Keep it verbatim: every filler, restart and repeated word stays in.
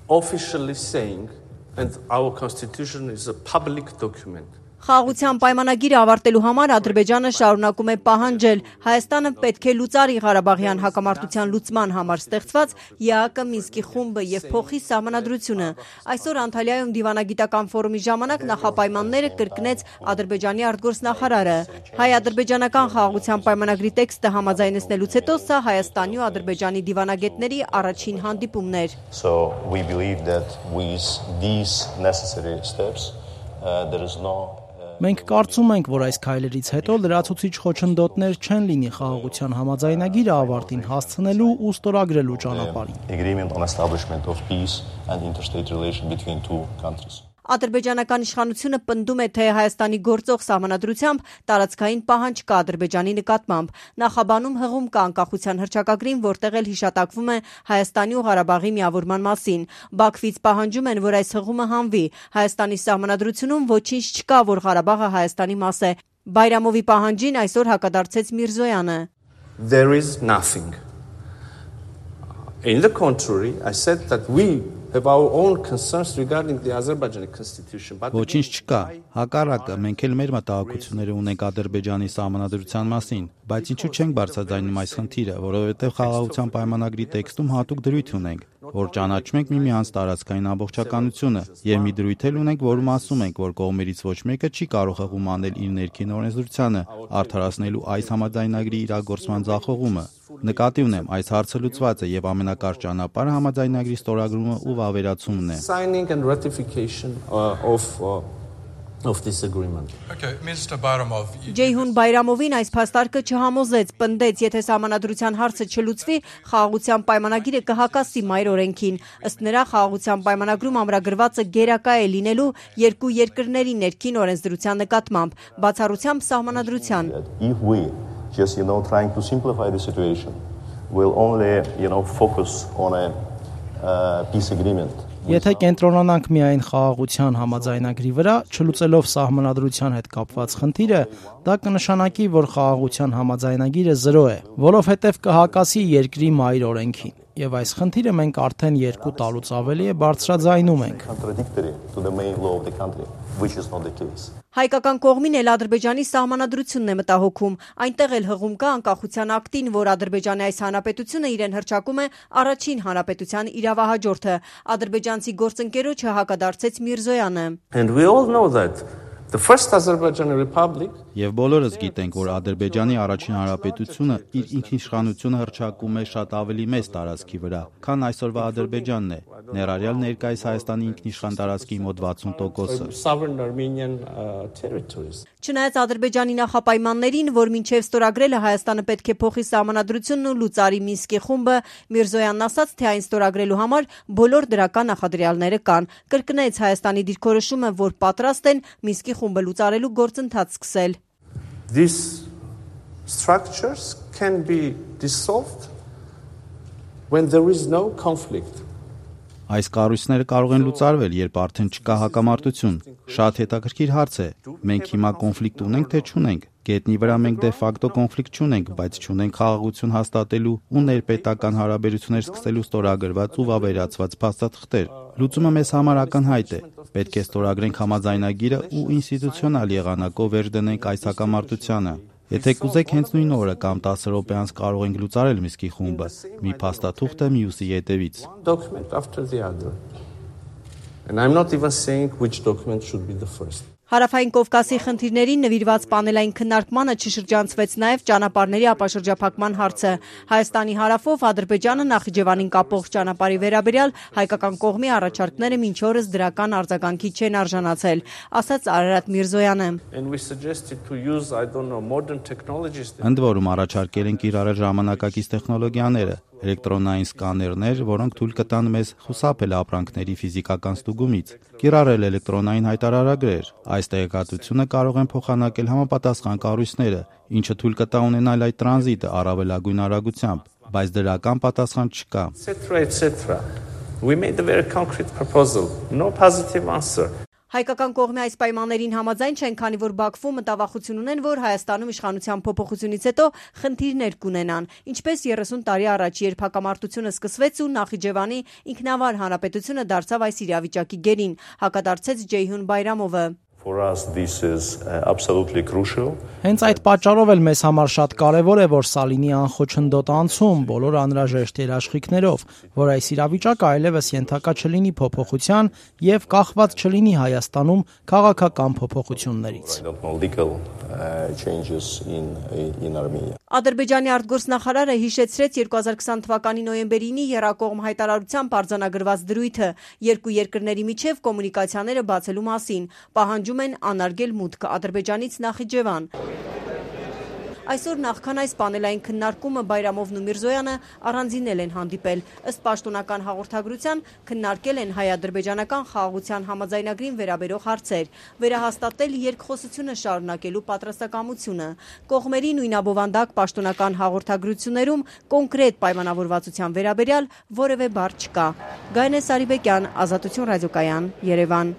officially saying, and our constitution is a public document. Խաղաղության պայմանագիրը ավարտելու համար Ադրբեջանը շարունակում է պահանջել Հայաստանը պետք է լուծարի Ղարաբաղյան հակամարտության լուծման համար ստեղծված ԵԱՀԿ Մինսկի խումբը եւ փոխի սահմանադրությունը։ Այսօր Անտալիայում դիվանագիտական ֆորումի ժամանակ նախապայմանները կրկնեց Ադրբեջանի արտգործնախարարը։ Հայ-ադրբեջանական խաղաղության պայմանագրի տեքստը համաձայնեցնելուց հետո սա Հայաստանի ու Ադրբեջանի դիվանագետների առաջին հանդիպումն էր։ So we believe that with these necessary steps uh, there is no Մենք կարծում ենք, որ այս քայլերից հետո լրացուցիչ խոչընդոտներ չեն լինի խաղաղության համաձայնագիրը ավարտին հասցնելու ու ստորագրելու ճանապարհին։ Agreement on establishment of peace and interstate relation between two countries. Ադրբեջանական իշխանությունը պնդում է, թե Հայաստանի գործող սահմանադրությամբ տարածքային պահանջ կա Ադրբեջանի նկատմամբ։ Նախաբանում հղում կա անկախության հռչակագրին, որտեղ էլ հիշատակվում է Հայաստանի ու Ղարաբաղի միավորման մասին։ Բաքվից պահանջում են, որ այս հղումը հանվի։ Հայաստանի սահմանադրությունում ոչինչ չկա, որ Ղարաբաղը Հայաստանի մաս է։ Բայրամովի պահանջին այսօր հակադարձեց Միրզոյանը։ There is nothing. In the contrary, I said that we have our own concerns regarding the Azerbaijani constitution. Ոչինչ չկա, հակառակը մենք էլ մեր մտահոգությունները ունենք Ադրբեջանի սահմանադրության մասին, բայց ինչու չենք բարձրաձայնում այս խնդիրը, որովհետև խաղաղության պայմանագրի տեքստում հատուկ դրույթ ունենք, որ ճանաչում ենք միմյանց տարածքային ամբողջականությունը, եւ մի դրույթ էլ ունենք, որում ասում ենք, որ կողմերից ոչ մեկը չի կարող հղում անել իր ներքին օրենսդրությանը, արդարացնելու այս համաձայնագրի իրագործման ձախողումը։ Նկատի ունեմ, այս հարցը լուծված է եւ ամենակարճ ճանապարհը համաձայնագրի ստորագրումը ու վավերացումն է։ Signing and ratification uh, of uh, of this agreement. Okay, Mister Bayramov. Ջեյհուն Բայրամովին այս փաստարկը չհամոզեց, պնդեց, եթե սահմանադրության հարցը չլուծվի, խաղաղության պայմանագիրը կհակասի մայր օրենքին։ Ըստ նրա, խաղաղության պայմանագրում ամրագրվածը գերակա է լինելու երկու երկրների ներքին օրենսդրության նկատմամբ, բացառությամբ սահմանադրության։ If we just, you know, trying to simplify the situation, will only, you know, focus on a uh, peace agreement. Եթե կենտրոնանանք միայն խաղաղության համաձայնագրի վրա, չլուծելով սահմանադրության հետ կապված խնդիրը, դա կնշանակի, որ խաղաղության համաձայնագիրը զրո է, որովհետև կհակասի երկրի մայր օրենքին։ Եվ այս խնդիրը մենք արդեն երկու տարուց ավելի է բարձրաձայնում ենք։ Հայկական կողմին էլ Ադրբեջանի սահմանադրությունն է մտահոգում։ Այնտեղ էլ հղում կա անկախության ակտին, որ Ադրբեջանի այս հանրապետությունը իրեն հռչակում է առաջին հանրապետության իրավահաջորդը։ Ադրբեջանցի գործընկերոջը հակադարձեց Միրզոյանը։ And we all know that the first Azerbaijani Republic Եվ բոլորս գիտենք, որ Ադրբեջանի առաջին հանրապետությունը իր ինքնիշխանությունը հռչակում է շատ ավելի մեծ տարածքի վրա, քան այսօրվա Ադրբեջանն է, ներառյալ ներկայիս Հայաստանի ինքնիշխան տարածքի մոտ վաթսուն տոկոսը։ sovereign Armenian uh, territories. Չնայած Ադրբեջանի նախապայմաններին, որ մինչև ստորագրելը Հայաստանը պետք է փոխի սահմանադրությունն ու լուծարի Մինսկի խումբը, Միրզոյանն ասաց, թե այն ստորագրելու համար բոլոր դրական նախադրյալները կան։ Կրկնեց Հայաստանի դիրքորոշումը, որ պատրաստ են Մինսկի խումբը լուծարելու գործընթաց սկսել։ These structures can be dissolved when there is no conflict. Այս կառույցները կարող են լուծարվել, երբ արդեն չկա հակամարտություն։ Շատ հետաքրքիր հարց է։ Մենք հիմա կոնֆլիկտ ունենք, թե չունենք։ Գետնի վրա մենք դե ֆակտո կոնֆլիկտ չունենք, բայց չունենք խաղաղություն հաստատելու ու ներպետական հարաբերություններ սկսելու ստորագրված ու վավերացված փաստաթղթեր։ Լուծումը մեզ համար ակնհայտ է։ Պետք է ստորագրենք համաձայնագիրը ու ինստիտուցիոնալ եղանակով վերջ դնենք այս հակամարտությանը։ Եթե կուզեք հենց նույն օրը կամ տասը րոպե անց կարող ենք լուծարել Մինսկի խումբը, մի փաստաթուղթը մյուսի ետևից։ Document after the other. And I'm not even saying which document should be the first. Հարավային Կովկասի խնդիրներին նվիրված պանելային քննարկմանը չշրջանցվեց նաև ճանապարհների ապաշրջափակման հարցը։ Հայաստանի հարավով Ադրբեջանը Նախիջևանին կապող ճանապարհի վերաբերյալ հայկական կողմի առաջարկները մինչ օրս դրական արձագանքի չեն արժանացել, ասաց Արարատ Միրզոյանը։ And we suggested to use, I don't know, modern technologies. Ընդ որում առաջարկել են կիրառել ժամանակակից տեխնոլոգիաները, էլեկտրոնային սկաներներ, որոնք թույլ կտան մեզ խուսափել ապրանքների ֆիզիկական ստուգումից, կիրառել էլեկտրոնային հայտարարագրեր։ Այս տեղեկատվությունը կարող են փոխանակել համապատասխան կառույցները, ինչը թույլ կտա ունենալ այդ տրանզիտը առավելագույն արագությամբ, բայց դրական պատասխան չկա։ et cetera et cetera. We made a very concrete proposal. No positive answer. Հայկական կողմի այս պայմաններին համաձայն չեն, քանի որ Բաքվում մտավախություն ունեն, որ Հայաստանում իշխանության փոփոխությունից հետո խնդիրներ կունենան, ինչպես երեսուն տարի առաջ, երբ հակամարտությունը սկսվեց ու Նախիջևանի ինքնավար հանրապետությունը դարձավ այս իրավիճակի գերին, հակադարձեց Ջեյհուն Բայրամովը։ For us, this is uh, absolutely crucial. Հենց այդ պատճառով էլ մեզ համար շատ կարևոր է, որ սա լինի անխոչնդոտ անցում բոլոր անհրաժեշտ երաշխիքներով, որ այս իրավիճակը այլևս ենթակա չլինի փոփոխության եւ կախված չլինի Հայաստանում քաղաքական փոփոխություններից։ I don't know, legal uh, changes in in Armenia. Ադրբեջանի արտգործնախարարը հիշեցրեց երկու հազար քսան թվականի նոյեմբերինի եռակողմ հայտարարությամբ արձանագրված դրույթը երկու երկրների միջև կոմունիկացիաները բացելու մասին, պահանջում են անարգել մուտքը Ադրբեջանից Նախիջևան։ Այսօր նախքան այս պանելային քննարկումը Բայրամովն ու Միրզոյանը առանձինել են հանդիպել, ըստ պաշտոնական հաղորդագրության քննարկել են հայ-ադրբեջանական խաղաղության համաձայնագրին վերաբերող հարցեր, վերահաստատել երկխոսությունը շարունակելու պատրաստակամությունը։ Կողմերի նույնաբովանդակ պաշտոնական հաղորդագրություններում կոնկրետ պայմանավորվածության վերաբերյալ որևէ բառ չկա։ Գայնե Սարիբեկյան, Ազատություն ռադիոկայան, Երևան։